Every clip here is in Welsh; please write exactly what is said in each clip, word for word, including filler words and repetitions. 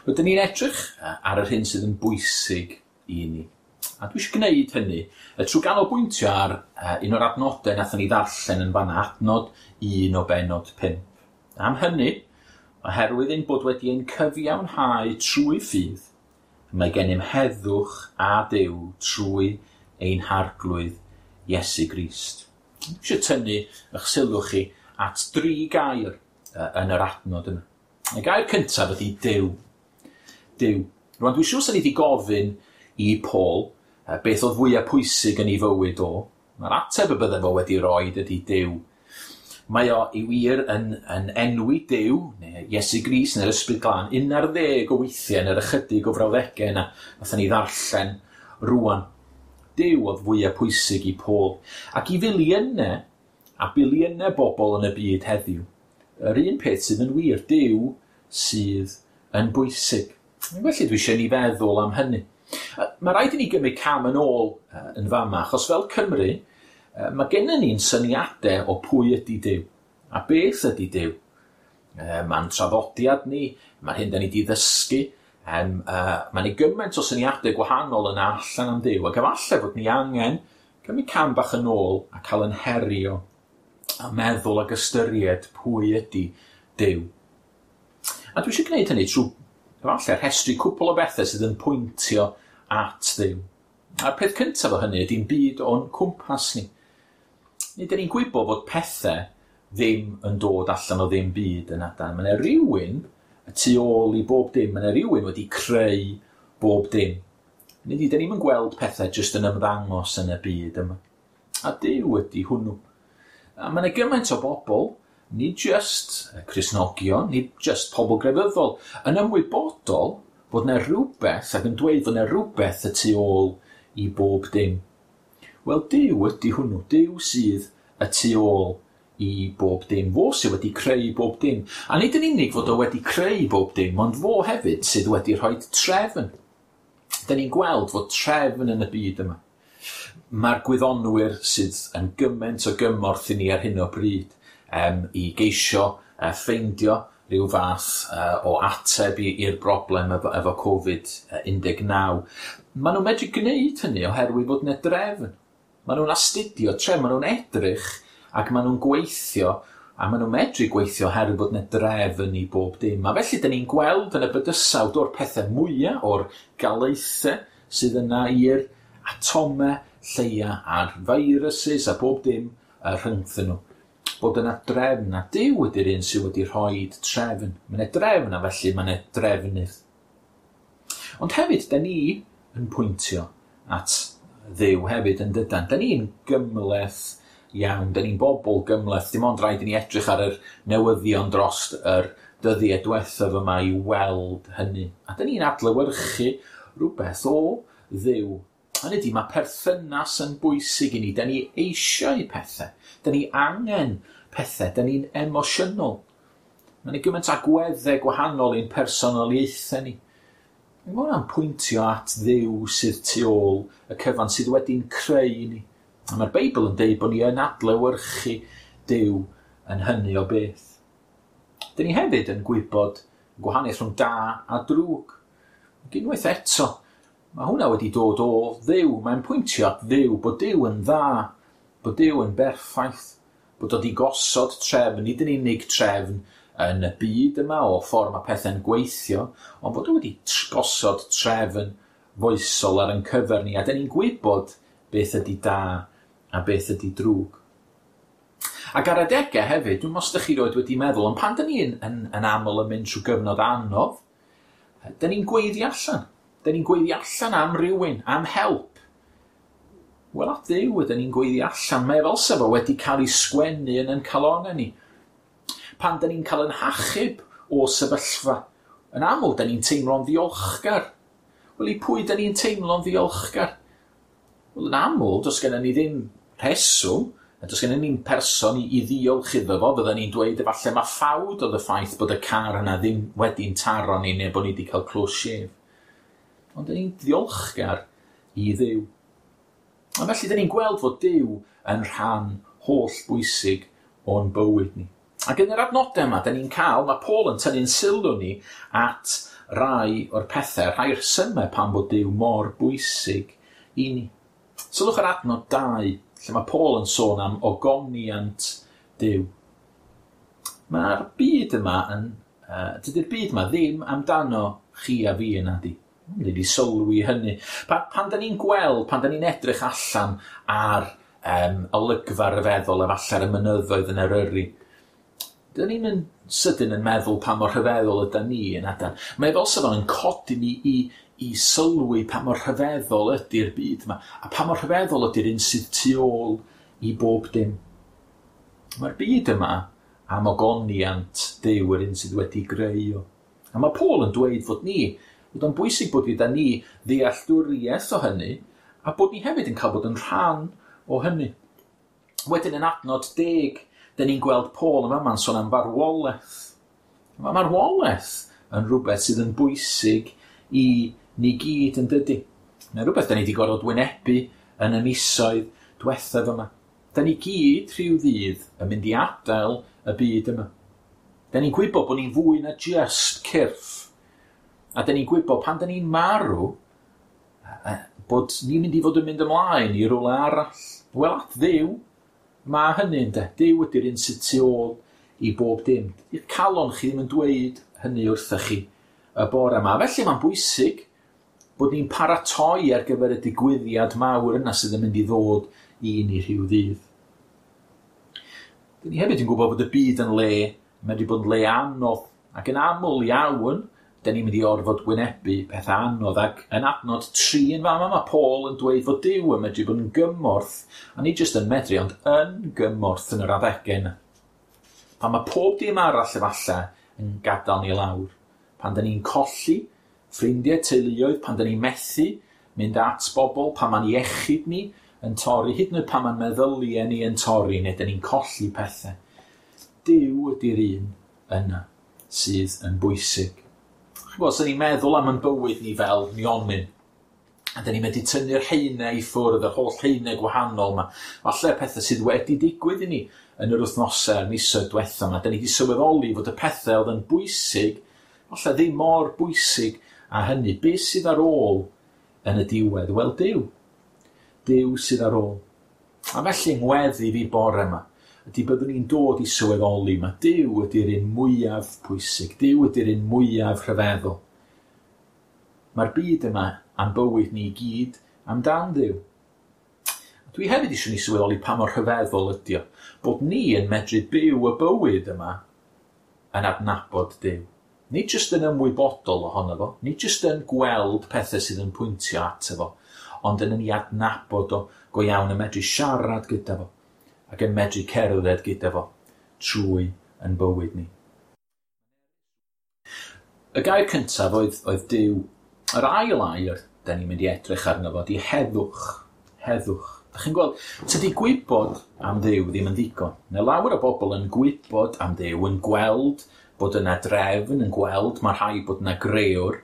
Rydyn ni'n edrych ar yr hyn sydd yn bwysig i ni. A dwi eisiau gwneud hynny trwy ganolbwyntio ar un o'r adnodau nathon ni ddarllen yn fanna, adnod un o bennod pump. Am hynny, oherwydd ein bod wedi ein cyfiawnhau trwy ffydd, mae gennym heddwch a Duw trwy ein Harglwydd Iesu Grist. Dwi eisiau tynnu eich sylw chi at dri gair yn yr adnod yma. Y gair cyntaf ydy Duw. Duw. Rwan, dwi'n siŵr 'sen ni wedi gofyn i Paul beth oedd fwyaf pwysig yn ei fywyd o. Mae'r ateb y bydde fo wedi roed ydy Duw. Mae o i wir yn, yn enwi Duw, neu Iesu Grist neu'r Ysbryd Glân, un ar ddeg o weithiau yn yr ychydig o frawddegau yna nathon ni ddarllen rwan. Duw oedd fwyaf pwysig i Paul. Ac i filiynau a biliynau bobl yn y byd heddiw, yr un peth sydd yn wir, Duw sydd yn bwysig. Felly dwi eisiau ni feddwl am hynny. Mae rhaid i ni gymryd cam yn ôl yn fama, achos fel Cymru, mae gennym ni'n syniadau o pwy ydy Duw, a beth ydy Duw. Mae'n traddodiad ni, mae'r hyn da ni wedi ddysgu, um, uh, mae'n ei gymaint o syniadau gwahanol yna allan am Dduw, ac efallai fod ni angen cymryd cam bach yn ôl a cael yn herio a meddwl ac ystyried pwy ydy Duw. A dwi eisiau gwneud hynny trwy efallai rhestru cwpl o bethau sydd yn pwyntio at Dduw. A'r peth cyntaf o hynny ydy'n byd o'n cwmpas ni. Nid ydyn ni'n gwybod fod pethau ddim yn dod allan o ddim byd yn adan. Mae yna rhywun y tu ôl i bob dim. Mae yna rhywun wedi creu bob dim. Nid ydyn ni'n gweld pethau jyst yn ymddangos yn y byd yma. A Duw ydy hwnnw. A mae yna gymaint o bobl, nid jyst Cristnogion, nid jyst pobl grefyddol, yn ymwybodol bod yna rhywbeth ac yn dweud fod yna rhywbeth y tu ôl i bob dim. Wel, Duw ydy hwnnw. Duw sydd y tu ôl i bob dim. Fo sydd wedi creu bob dim. A nid yn unig fod o wedi creu bob dim, ond fo hefyd sydd wedi rhoi trefn. Da ni'n gweld fod trefn yn y byd yma. Mae'r gwyddonwyr sydd yn gymaint o gymorth i ni ar hyn o bryd um, i geisio uh, ffeindio rhyw fath uh, o ateb i'r broblem efo, efo Covid un deg naw. Maen nhw'n medru gwneud hynny oherwydd fod yna drefn. Maen nhw'n astudio trefn, maen nhw'n edrych ac maen nhw'n gweithio, a maen nhw'n medru gweithio oherwydd bod yna drefn i bob dim. A felly, dyn ni'n gweld yn y bydysawd o'r pethau mwyaf, o'r galaethau sydd yna i'r atomau lleia a'r viruses a bob dim rhyngthyn nhw. Bod yna drefn, a Duw ydy'r un sydd wedi rhoi trefn. Mae yna drefn a felly mae yna drefnydd. Ond hefyd, da ni yn pwyntio at Dduw hefyd yn dydan. Da ni'n gymhleth iawn, da ni'n bobl gymhleth. Dim ond rhaid i ni edrych ar yr newyddion dros yr dyddiau diwethaf yma i weld hynny. A da ni'n adlewyrchu rhywbeth o Dduw. Hynny ydy, mae perthynas yn bwysig i ni. Da ni eisiau pethau. Da ni angen pethau. Da ni'n emosiynol. Mae yna gymaint agweddau gwahanol i'n personoliaethau ni. Mae hwnna'n pwyntio at Dduw sydd tu ôl y cyfan sydd wedi'n creu ni. A mae'r Beibl yn deud bod ni yn adlewyrchu Duw yn hynny o beth. Da ni hefyd yn gwybod gwahaniaeth rhwng da a drwg. Ac unwaith eto, mae hwnna wedi dod o Dduw. Mae'n pwyntio at Dduw, bod Duw yn dda, bod Duw yn berffaith, bod o wedi gosod trefn, nid yn unig trefn yn y byd yma o ffordd mae pethau'n gweithio, ond bod o wedi gosod trefn foesol ar ein cyfer ni, a da ni'n gwybod beth ydy da a beth ydy drwg. Ac ar adegau hefyd, dwi'n meddwl os ydych chi roed wedi meddwl, ond pan da ni'n yn, yn aml yn mynd trwy gyfnod anodd, da ni'n gweiddi allan. Da ni'n gweiddi allan am rywun, am help. Wel, at Dduw ydyn ni'n gweiddi allan. Mae fel sef o wedi cael ei sgwennu yn ein calonnau ni. Pan da ni'n cael yn hachub o sefyllfa, yn aml da ni'n teimlo'n ddiolchgar. Wel, i pwy da ni'n teimlo'n ddiolchgar? Wel, yn aml, does gennym ni ddim rheswm, a does gennym ni'n person i, i ddiolch iddo fo. Fydden ni'n dweud efallai mae ffawd oedd y ffaith bod y car yna ddim wedi'n taro ni neu bod ni wedi cael close shave. Ond da ni'n ddiolchgar i Dduw. A felly da ni'n gweld fod Duw yn rhan holl bwysig o'n bywyd ni. Ac yn yr adnodau yma, da ni'n cael, mae Paul yn tynnu'n sylw ni at rai o'r pethau, rhai rhesymau pam bod Duw mor bwysig i ni. Sylwch ar adnod dau, lle mae Paul yn sôn am ogoniant Duw. Mae'r byd yma yn... Uh, dydy'r byd yma ddim amdano chi a fi yna di. Ni wedi sylwi hynny. Pan, pan da ni'n gweld, pan da ni'n edrych allan ar um, olygfa ryfeddol efallai ar y mynyddoedd yn Eryri, da ni'n yn sydyn yn meddwl pa mor rhyfeddol yda ni yn adan. Mae fel sa fo'n codi ni i, i sylwi pa mor rhyfeddol ydy'r byd yma, a pa mor rhyfeddol ydy'r un sydd tu ôl i bob dim. Mae'r byd yma am ogoniant Duw, yr un sydd wedi greu o. A mae Paul yn dweud fod ni, bod o'n bwysig bod gyda ni ddealltwriaeth o hynny, a bod ni hefyd yn cael bod yn rhan o hynny. Wedyn yn adnod deg, dyn ni'n gweld Paul yn fama'n sôn am farwolaeth. Mae marwolaeth yn rhywbeth sydd yn bwysig i ni gyd yn dydy. Mae'n rhywbeth da ni wedi gorfod wynebu yn y misoedd diwethaf yma. Da ni gyd rhyw ddydd yn mynd i adael y byd yma. Da ni'n gwybod bod ni'n fwy na just cyrff. A da ni'n gwybod pan da ni'n marw, bod ni'n mynd i fod yn mynd ymlaen i rywle arall. Wel, at Dduw, mae hynny ynde. Duw ydy'r un sydd tu ôl i bob dim. Dydi'r calon chi ddim yn dweud hynny wrthych chi y bore yma. Felly mae'n bwysig bod ni'n paratoi ar gyfer y digwyddiad mawr yna sydd yn mynd i ddod i ni rhyw ddydd. Dyn ni hefyd yn gwybod bod y byd yn le, medru bod yn le anodd, ac yn aml iawn, dyn ni'n mynd i orfod wynebu pethau anodd, ac yn adnod tri yn fama mae Paul yn dweud fod Duw yn medru bod yn gymorth, a nid jyst yn medru, ond yn gymorth yn yr adegau yna. Pan mae pob dim arall efallai yn gadael ni lawr, pan dyn ni'n colli ffrindiau, teuluoedd, pan dyn ni'n methu mynd at bobl, pan mae'n iechyd ni yn torri, hyd yn oed pan mae'n meddyliau ni yn torri, neu dyn ni'n colli pethau. Duw ydy'r un yna sydd yn bwysig. Chi'n gwybod, os ni'n meddwl am ein bywyd ni fel nionyn, a dyn ni'n medru tynnu'r haenau i ffwrdd, yr holl haenau gwahanol yma, falle pethau sydd wedi digwydd i ni yn yr wythnosau a'r misoedd diwetha yma, dyn ni wedi sylweddoli fod y pethau oedd yn bwysig, falle ddim mor bwysig a hynny. Be sydd ar ôl yn y diwedd? Wel, Duw. Duw sydd ar ôl. A felly ngweddi fi bore yma, ydy byddwn ni'n dod i sylweddoli ma Duw ydy'r un mwyaf pwysig, Duw ydy'r un mwyaf rhyfeddol. Mae'r byd yma a'n bywyd ni i gyd amdan Dduw. Dwi hefyd eisiau ni sylweddoli pa mor rhyfeddol ydy o, bod ni yn medru byw y bywyd yma yn adnabod Duw. Nid jyst yn ymwybodol ohono fo, nid jyst yn gweld pethau sydd yn pwyntio ato fo, ond yn ei adnabod o go iawn, yn medru siarad gyda fo, ac yn medru cerdded gyda fo trwy yn bywyd ni. Y gair cyntaf oedd, oedd Duw. Yr ail air da ni'n mynd i edrych arno fo ydy heddwch. Heddwch. Da chi'n gweld, tydi gwybod am Dduw ddim yn ddigon. Mae lawer o bobl yn gwybod am Dduw, yn gweld bod yna drefn, yn gweld mae rhaid bod yna grëwr.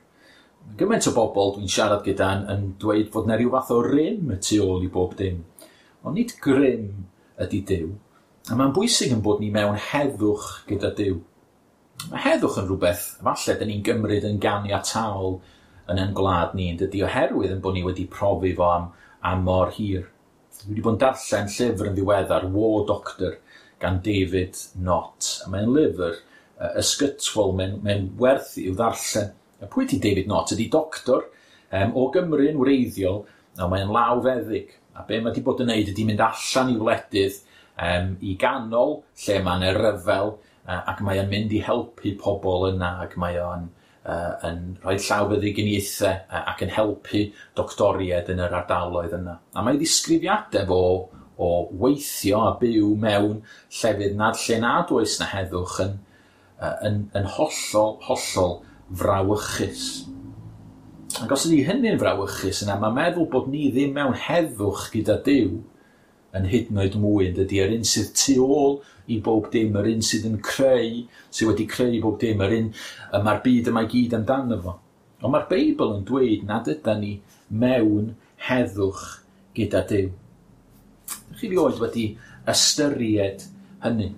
Gymaint o bobl dwi'n siarad gyda yn, yn dweud fod yna rhyw fath o rym y tu ôl i bob dim. Ond nid grym ydy Duw. A mae'n bwysig yn bod ni mewn heddwch gyda Duw. Mae heddwch yn rhywbeth, falle, dyn ni'n gymryd yn ganiataol yn ein gwlad ni, yn dydy, oherwydd yn bod ni wedi profi fo am, am mor hir. Dwi wedi bod yn darllen llyfr yn ddiweddar, War Doctor, gan David Nott. A mae'n lyfr uh, ysgytwol, mae'n mae werth i'w ddarllen. A pwy ydy David Nott? Ydy doctor um, o Gymru yn wreiddiol, a mae'n lawfeddyg. A be mae wedi bod yn neud ydy mynd allan i wledydd um, i ganol lle mae'n ryfel, uh, ac mae o'n mynd i helpu pobl yna, ac mae o'n uh, yn rhoi llawfeddyginiaethau uh, ac yn helpu doctoriaid yn yr ardaloedd yna. A mae ddisgrifiadau fo o weithio a byw mewn llefydd nad lle nad oes na heddwch yn, uh, yn, yn hollol, hollol frawychus. Ac os ydy hynny'n frawychus yna, mae'n meddwl bod ni ddim mewn heddwch gyda Duw yn hyd yn oed mwy, yn dydy, yr un sydd tu ôl i bob dim, yr un sydd yn creu, sydd wedi creu bob dim, yr un y mae'r byd yma i gyd amdano fo. Ond mae'r Beibl yn dweud nad ydan ni mewn heddwch gyda Duw. Chi rioed wedi ystyried hynny?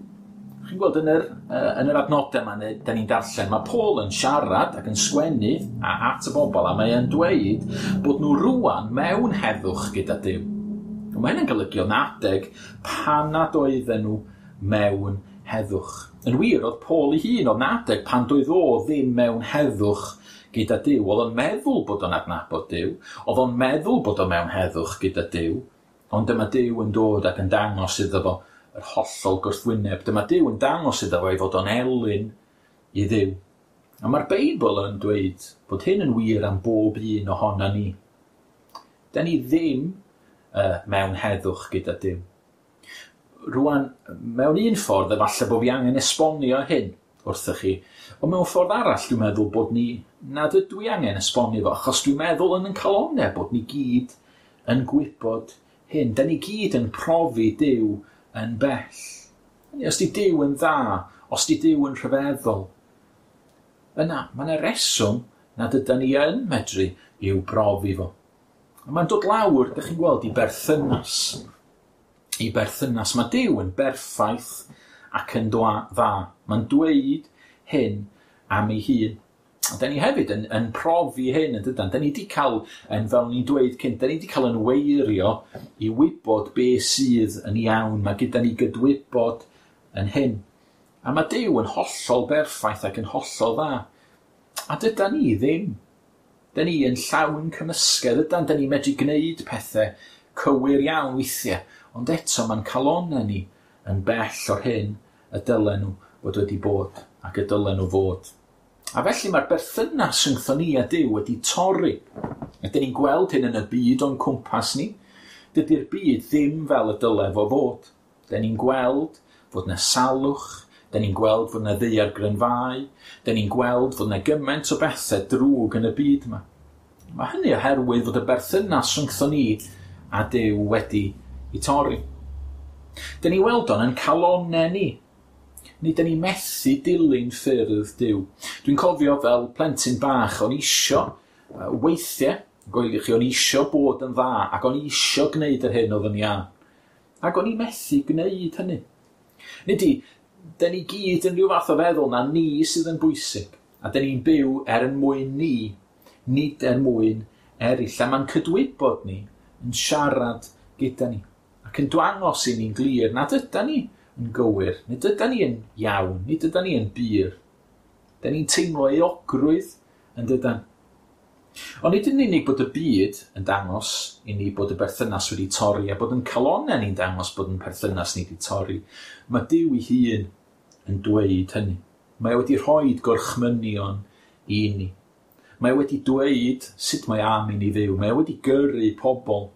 Chi'n gweld yn yr, uh, yn yr adnodau yma, da ni'n darllen, mae Paul yn siarad ac yn sgwennu at y bobl, a mae e'n dweud bod nhw rwan mewn heddwch gyda Duw. Mae hynny'n golygu o'n adeg pan nad oedden nhw mewn heddwch. Yn wir, oedd Paul ei hun oedd adeg pan doedd o ddim mewn heddwch gyda Duw. Oedd o'n meddwl bod o'n adnabod Duw, oedd o'n meddwl bod o mewn heddwch gyda Duw, ond dyma Duw yn dod ac yn dangos iddo fo yr hollol gwrthwyneb. Dyma Duw yn dangos iddo fo ei fod o'n elyn i Dduw. A mae'r Beibl yn dweud bod hyn yn wir am bob un ohona ni. Da ni ddim uh, mewn heddwch gyda Duw. Rwan, mewn un ffordd, efallai bod fi angen esbonio hyn wrthych chi, ond mewn ffordd arall dwi'n meddwl bod ni, nad ydw i angen esbonio fo, achos dwi'n meddwl yn yn calonnau bod ni gyd yn gwybod hyn. Da ni gyd yn profi Duw yn bell. Os di Duw yn dda, os di Duw yn rhyfeddol, yna, mae yna reswm nad ydan ni yn medru i'w brofi fo. A mae'n dod lawr, ydych chi'n gweld, i berthynas. I berthynas. Mae Duw yn berffaith ac yn dda. Mae'n dweud hyn am ei hun. A da ni hefyd yn, yn profi hyn, yn dydan. Da ni wedi cael, yn, fel ni'n dweud cynt, da ni wedi cael yn weirio i wybod be sydd yn iawn. Mae gyda ni gydwybod yn hyn. A mae Duw yn hollol berffaith ac yn hollol dda. A dydan ni ddim. Da ni yn llawn cymysgedd, ydan. Da ni medru gwneud pethau cywir iawn weithiau. Ond eto mae'n calonnau ni yn bell o'r hyn y dylen nhw fod wedi bod ac y dylen nhw fod. A felly mae'r berthynas rhyngthon ni a Duw wedi torri. A dyn ni'n gweld hyn yn y byd o'n cwmpas ni. Dydy'r byd ddim fel y dyle fo fod. Dyn ni'n gweld fod na salwch, dyn ni'n gweld fod na ddaeargrynfâu, dyn ni'n gweld fod na gymaint o bethau drwg yn y byd yma. Mae hynny oherwydd fod y berthynas rhyngthon ni a Duw wedi i torri. Dyn ni weld o'n yn calonnau ni. Ni dyn ni methu dilyn ffyrdd Duw. Dwi'n cofio fel plentyn bach, o'n isio weithiau, goelwch chi, o'n isio bod yn dda, ac o'n isio gwneud yr hyn oedd yn iawn. Ac o'n i methu gwneud hynny. Nid i, dyn ni gyd yn rhyw fath o feddwl na ni sydd yn bwysig, a dyn ni'n byw er yn mwyn ni, nid er mwyn eraill. A mae'n cydwybod ni yn siarad gyda ni, ac yn dangos i ni'n glir nad ydan ni yn gywir, nid ydan ni yn iawn, nid ydan ni yn bur. Dyn ni'n teimlo euogrwydd yn dydan. Ond nid yn unig bod y byd yn dangos i ni bod y berthynas wedi torri a bod yn calonnau ni'n dangos bod yn perthynas ni wedi torri. Mae Duw ei hun yn dweud hynny. Mae wedi rhoi gorchmynion i ni. Mae wedi dweud sut mae am i ni fyw. Mae wedi gyrru pobl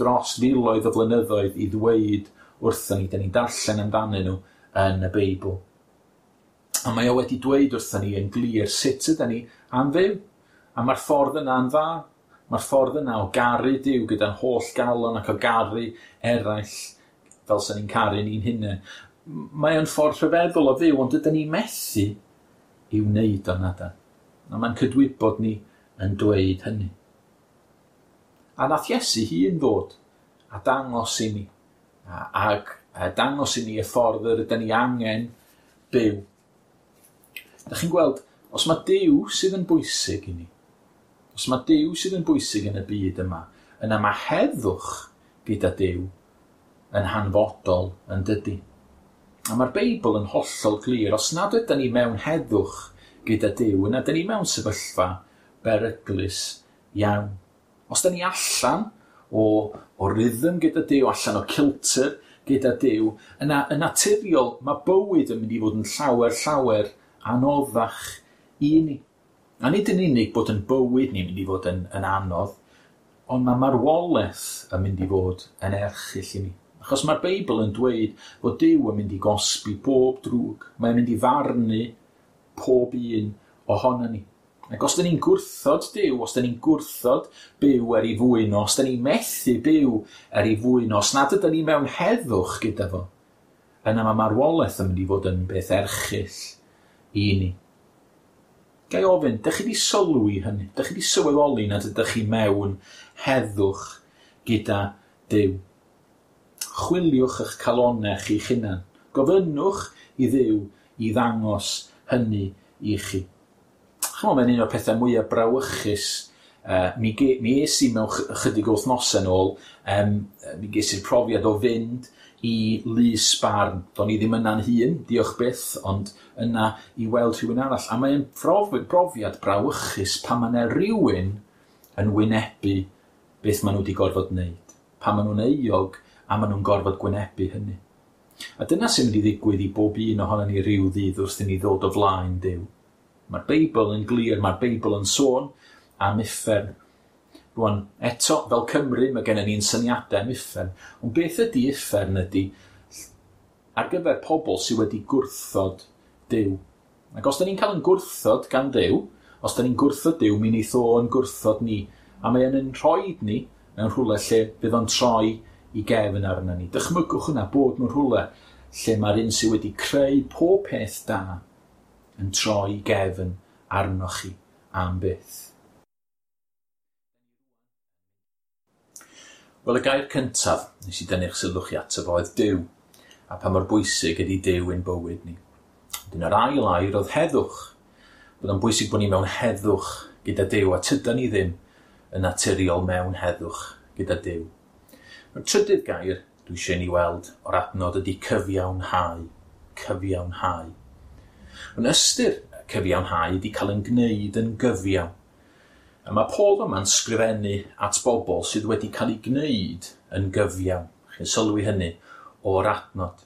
dros filoedd o flynyddoedd i ddweud wrthon ni, da ni'n darllen amdanyn nhw yn y Beibl. A mae o wedi dweud wrthon ni yn glir sut ydan ni am fyw. A mae'r ffordd yna yn dda. Mae'r ffordd yna o garu Duw gyda'n holl galon ac o garu eraill fel sy'n ni'n caru ni'n hunain. Mae o'n ffordd rhyfeddol o fyw, ond ydyn ni methu i wneud o'n adan. A mae'n cydwybod ni yn dweud hynny. A nath Iesu hun ddod a dangos i ni, ac dangos i ni y ffordd yr ydyn ni angen byw. Da chi'n gweld, os mae Duw sydd yn bwysig i ni, os mae Duw sydd yn bwysig yn y byd yma, yna mae heddwch gyda Duw yn hanfodol yn dydy. A mae'r Beibl yn hollol glir, os nad ydyn ni mewn heddwch gyda Duw, yna ydyn ni mewn sefyllfa beryglus iawn. Os ydyn ni allan o, o rhythm gyda Duw, allan o kilter gyda Duw, yna yn naturiol mae bywyd yn mynd i fod yn llawer, llawer anoddach i ni. A nid yn unig bod yn bywyd ni'n mynd i fod yn, yn anodd, ond mae marwolaeth yn mynd i fod yn erchyll i ni. Achos mae'r Beibl yn dweud fod Duw yn mynd i gosbi bob drwg. Mae'n mynd i farnu pob un ohono ni. Ac os da ni'n gwrthod Duw, os da ni'n gwrthod byw er ei fwyn o, os da ni'n methu byw er ei fwyn o, os nad ydyn ni mewn heddwch gyda fo, yna mae marwolaeth yn mynd i fod yn beth erchyll i ni. Ga i ofyn, dych chi wedi sylwi hynny? Dych chi wedi sylweddoli nad ydych chi mewn heddwch gyda Duw? Chwiliwch eich calonnau chi'ch hunan. Gofynnwch i Dduw i ddangos hynny i chi. Chymod, mae'n un o'r pethau mwyaf brawychus. Uh, mi, ge, mi es i mewn chydig o wythnosau nôl, um, mi ges i'r profiad o fynd i lys barn. Do'n i ddim yna'n hun, diolch byth, ond yna i weld rhywun arall. A mae'n brofiad brawychus pan mae yna rhywun yn wynebu beth maen nhw wedi gorfod wneud. Pan maen nhw'n euog a maen nhw'n gorfod gwynebu hynny. A dyna sy'n mynd i ddigwydd i bob un ohonon ni ryw ddydd wrth i ni ddod o flaen Duw. Mae'r Beibl yn glir, mae'r Beibl yn sôn am uffern. Rwan, eto, fel Cymru, mae gennym ni'n syniadau am uffern. Ond beth ydy uffern ydy ar gyfer pobl sydd wedi gwrthod Duw. Ac os da ni'n cael yn gwrthod gan Dduw, os da ni'n gwrthod Duw, mi wneith o yn gwrthod ni. A mae o'n rhoi ni mewn rhywle lle bydd o'n troi i gefn arna ni. Dychmygwch hwnna, bod mewn rhywle lle mae'r un sydd wedi creu pob peth da yn troi i gefn arnoch chi am byth. Wel, y gair cyntaf nes i dynnu'ch sylw chi ato fo oedd Duw, a pa mor bwysig ydy Duw ein bywyd ni. Wedyn yr ail air oedd heddwch. Bod o'n bwysig bod ni mewn heddwch gyda Duw, a tydan ni ddim yn naturiol mewn heddwch gyda Duw. Mae'r trydydd gair dwi eisiau ni weld o'r adnod ydy cyfiawnhau. Cyfiawnhau. Yn ystyr cyfiawnhau ydy cael yn gwneud yn gyfiawn. A mae Paul yma'n sgrifennu at bobl sydd wedi cael eu gwneud yn gyfiawn. Chi'n sylwi hynny o'r adnod.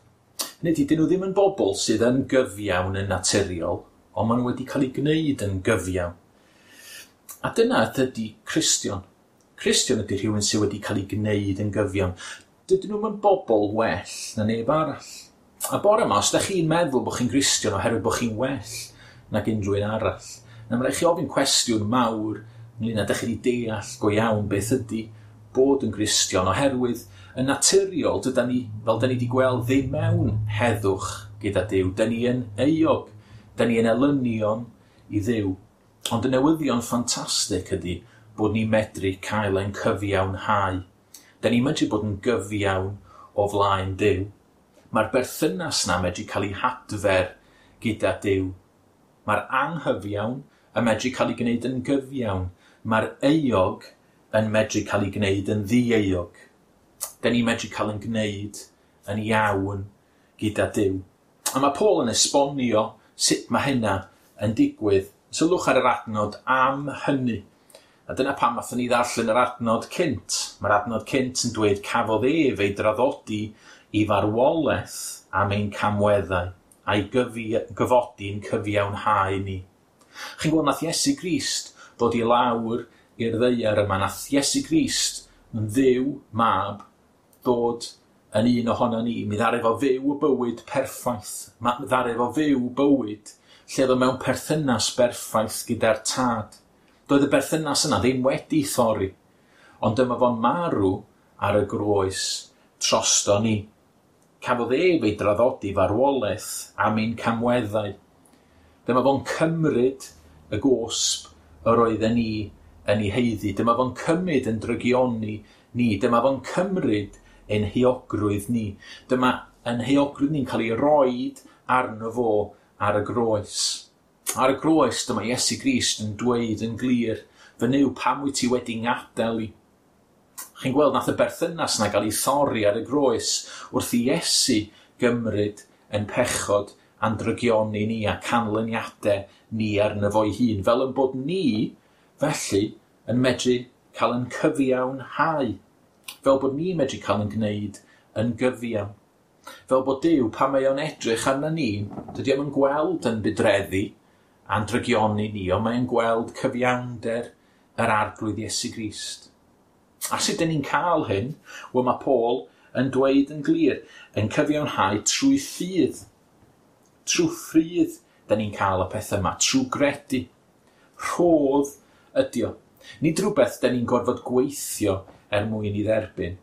Hynny ydy, dyn nhw ddim yn bobl sydd yn gyfiawn yn naturiol, ond maen nhw wedi cael eu gwneud yn gyfiawn. A dyna ydy Cristion. Cristion ydy rhywun sydd wedi cael ei gwneud yn gyfiawn. Dydyn nhw'm yn bobl well na neb arall. A bore yma, os da chi'n meddwl bod chi'n Gristion oherwydd bod chi'n well nag unrhyw un arall, na mae rhaid chi ofyn cwestiwn mawr ynglyn â dych chi wedi deall go iawn beth ydy bod yn Gristion, oherwydd yn naturiol dydan ni, fel da ni wedi gweld, ddim mewn heddwch gyda Duw. Da ni yn euog, da ni yn elynion i Dduw. Ond y newyddion ffantastig ydy bod ni'n medru cael ein cyfiawnhau. Da ni'n medru bod yn gyfiawn o flaen Duw. Mae'r berthynas na medru cael ei hadfer gyda Duw. Mae'r anghyfiawn yn medru cael ei gwneud yn gyfiawn. Mae'r euog yn medru cael ei gwneud yn ddieuog. Da ni'n medru cael yn gwneud yn iawn gyda Duw. A mae Paul yn esbonio sut mae hynna yn digwydd. Sylwch ar yr adnod am hynny. A dyna pam nathon ni ddarllen yr adnod cynt. Mae'r adnod cynt yn dweud cafodd ef ei draddodi i farwolaeth am ein camweddau a'i gyfodi'n cyfiawnhau ni. Chi'n gweld, nath Iesu Grist ddod i lawr i'r ddaear yma. Nath Iesu Grist yn Dduw mab ddod yn un ohono ni. Mi ddaru fo fyw y bywyd perffaith. Mi ddaru fo fyw bywyd lle oedd o mewn perthynas berffaith gyda'r tad. Doedd y berthynas yna ddim wedi thorri, ond dyma fo'n marw ar y groes drosto ni. Cafodd ef ei draddodi farwolaeth am ein camweddau. Dyma fo'n cymryd y gosb yr oedden ni yn ei haeddu. Dyma fo'n cymryd yn drygioni ni. Dyma fo'n cymryd ein heuogrwydd ni. Dyma ein heuogrwydd ni'n cael ei roid arno fo ar y groes. Ar y groes, dyma Iesu Grist yn dweud yn glir, fy Nuw, pam wyt ti wedi ngadael i? Chi'n gweld, nath y berthynas na gael ei thorri ar y groes wrth i Iesu gymryd yn pechod a'n drygioni ni a canlyniadau ni arno fo'i hun, fel yn bod ni, felly, yn medru cael yn cyfiawnhau, fel bod ni'n medru cael yn gwneud yn gyfiawn. Fel bod Duw, pan mae o'n edrych arna ni, dydy o'm yn gweld yn budreddi a'n drygioni ni, ond mae'n gweld cyfiawnder yr Arglwydd Iesu Grist. A sut dyn ni'n cael hyn? Wel, mae Paul yn dweud yn glir, yn cyfiawnhau trwy ffydd. Trwy ffydd dyn ni'n cael y pethau yma, trwy gredu. Rhodd ydi o. Nid rhywbeth dyn ni'n gorfod gweithio er mwyn i dderbyn.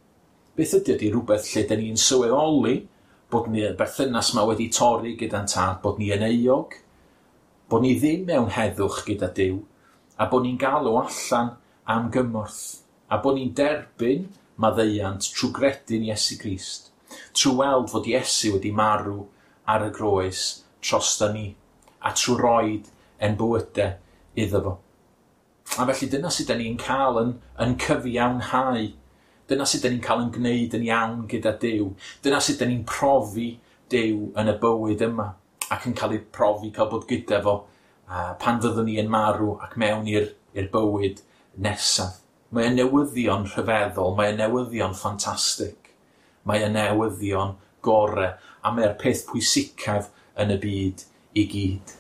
Beth ydy ydy rhywbeth lle dyn ni'n sylweddoli bod ni y berthynas yma wedi torri gyda'n tad, bod ni yn euog, bod ni ddim mewn heddwch gyda Duw, a bod ni'n galw allan am gymorth, a bod ni'n derbyn maddeuant trwy gredu'n Iesu Grist. Trwy weld fod Iesu wedi marw ar y groes drosta ni, a trwy roid ein bywydau iddo fo. A felly dyna sut 'dan ni'n cael yn, yn cyfiawnhau. Dyna sut 'dan ni'n cael yn gwneud yn iawn gyda Duw. Dyna sut 'dan ni'n profi Duw yn y bywyd yma ac yn cael ei profi cael bod gyda fo uh, pan fyddwn ni yn marw ac mewn i'r i'r bywyd nesaf. Mae yn newyddion rhyfeddol, mae yn newyddion ffantastig, mae yn newyddion gore, a mae'r peth pwysicaf yn y byd i gyd.